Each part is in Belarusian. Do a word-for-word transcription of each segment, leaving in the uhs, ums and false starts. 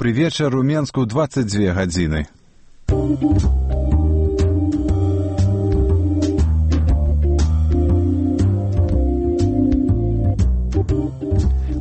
Добрый вечер. У Менску двадцать две гадзіны.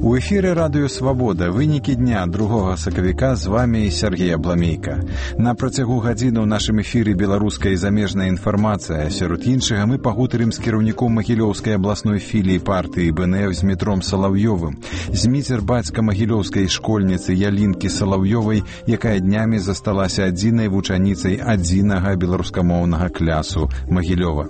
У эфире радыё «Свабода». Вынікі дня другога сакавіка. З вами Сергей Абламейка. На працягу гадзіны ў нашым эфіры беларуская і замежная інфармацыя. Сярод іншага мы пагутарым з кіраўніком Магілёўскай абласной філіі партыі БНФ з Дмітром Салаўёвым. Зміцер бацька магілёўскай школьніцы Ялінкі Салаўёвай, якая днямі засталася адзінай вучаніцай адзінага беларускамоўнага клясу Магілёва.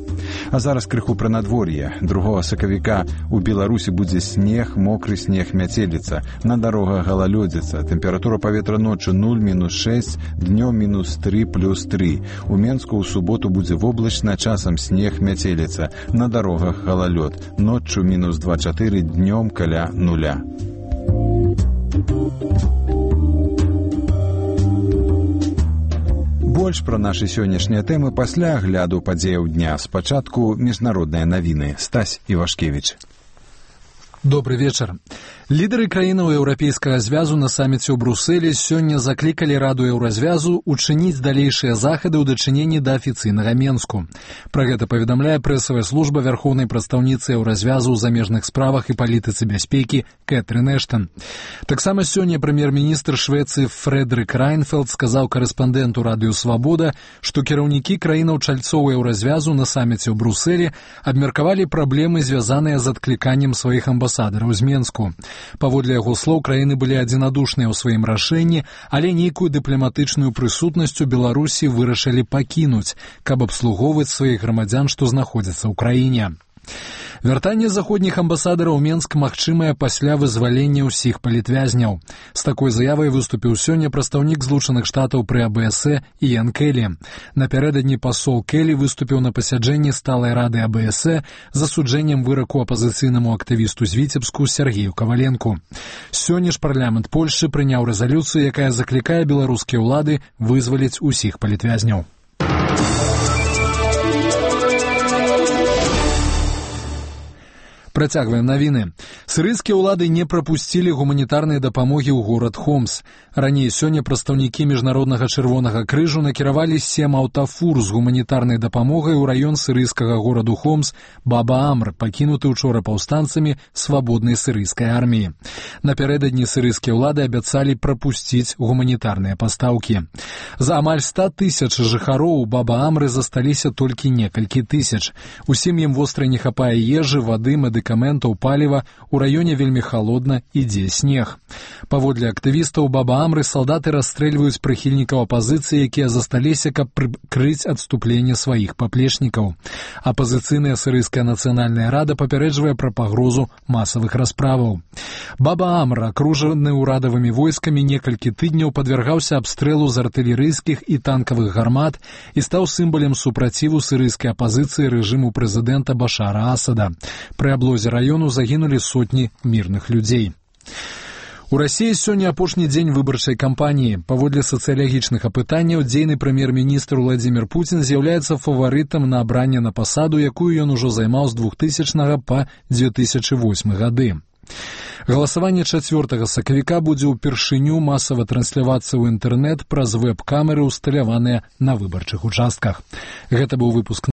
А зараз крыху пра надвор'е. другога сакавіка у Беларусі будзе снег, мокры снег, мяцеліца, на дарогах галалёдзіца, тэмпература паветра ноччу нуль мінус шэсць, днём мінус тры плюс тры. У Менску ў суботу будзе воблачна, часам снег, мяцеліца, на дарогах галалёд, ноччу мінус два чатыры, днём каля нуля. Больш пра нашы сённяшнія тэмы пасля агляду падзеяў дня. Спачатку міжнародныя навіны. Стась Івашкевіч. Добрый вечер. Лідары краінаў еўрапейскага звязу на саміце ў Брусэлі сёння заклікалі раду еўразвязу учыніць далейшыя захады ў дачыненні да афіцыйнага Менску. Пра гэта паведамляе прэсавая служба вярхоўнай прадстаўніцы еўразвязу ў замежных справах і палітыцы бяспекі Кэтрын Эштон. Таксама сёння прэм'ер-міністр Швецыі Фрэдрык Райнфелд сказаў корэспандэнту радыё «Свабода», што кіраўнікі краінаў чальцоў еўразвязу на саміце ў Брусэлі абмеркавалі праблемы, звязаныя з адкліканнем сваіх амбасадараў з Менску. Паводле яго слоў, краіны былі адзінадушныя ў сваім рашэнні, але нейкую дыпламатычную прысутнасць у Беларусі вырашылі пакінуць, каб абслугоўваць сваіх грамадзян, што знаходзяцца ў краіне. Вяртанне заходніх амбасадараў у Менск магчымае пасля вызвалення ўсіх палітвязняў. З такой заявай выступіў сёння прадстаўнік Злучаных Штатаў пры А Б С Іян Келлі. Напярэдадні пасол Келлі выступіў на пасяджэнні сталай рады А Б С з асуджэннем выраку апазіцыйнаму актывісту з Віцебску Сергею Каваленку. Сёння ж парламент Польшчы прыняў рэзалюцыю, якая заклікае беларускія ўлады вызваліць усіх палітвязняў. Працягваем навіны. Сірыйскія ўлады не прапусцілі гуманітарнай дапамогі ў горад Хомс. Раней сёння прадстаўнікі міжнароднага чырвонага крыжу накіравалі сем аўтафур з гуманітарнай дапамогай у раён сірыйскага гораду Хомс Баба-Амр, пакінуты учора паўстанцамі свабоднай сірыйскай арміі. Напярэдадні сірыйскія ўлады абяцалі прапусціць гуманітарныя пастаўкі. За амаль ста тысяч жыхароў у Баба-Амры засталіся толькі некалькі тысяч. Усім ім востра не хапае ежы, вады, медыкаментаў, паліва, у раёне вельмі халодна, ідзе снег. Паводле актывістаў Баба-Амры салдаты расстрэльваюць прыхільнікаў апазіцыі, якія засталіся, каб прыкрыць адступленне сваіх паплечнікаў. Апазіцыйная сірыйская нацыянальная рада папярэджвае пра пагрозу масавых расправаў. Баба-Амр, акружаны ўрадавымі войскамі, некалькі тыдняў падвяргаўся абстрэлу з артылерыйскіх і танкавых гармат і стаў сімвалам супраціву сірыйскай апазіцыі рэжыму прэзідэнта Башара Асада. Пры аблозе раёну загінулі сотні мірных людзей. У Расіі сёння апошні дзень выбарчай кампаніі. Паводле сацыялагічных апытанняў, дзейны прэм'ер-міністр Владзімір Пуцін з'яўляецца фаварытам на абранне на пасаду, якую ён ужо займаў з двухтысячнага па дзве тысячы восьмы гады. Галасаванне чацвёртага сакавіка будзе ўпершыню масава транслявацца ў інтэрнэт праз вэб-камеры, усталяваныя на выбарчых участках. Гэта быў выпуск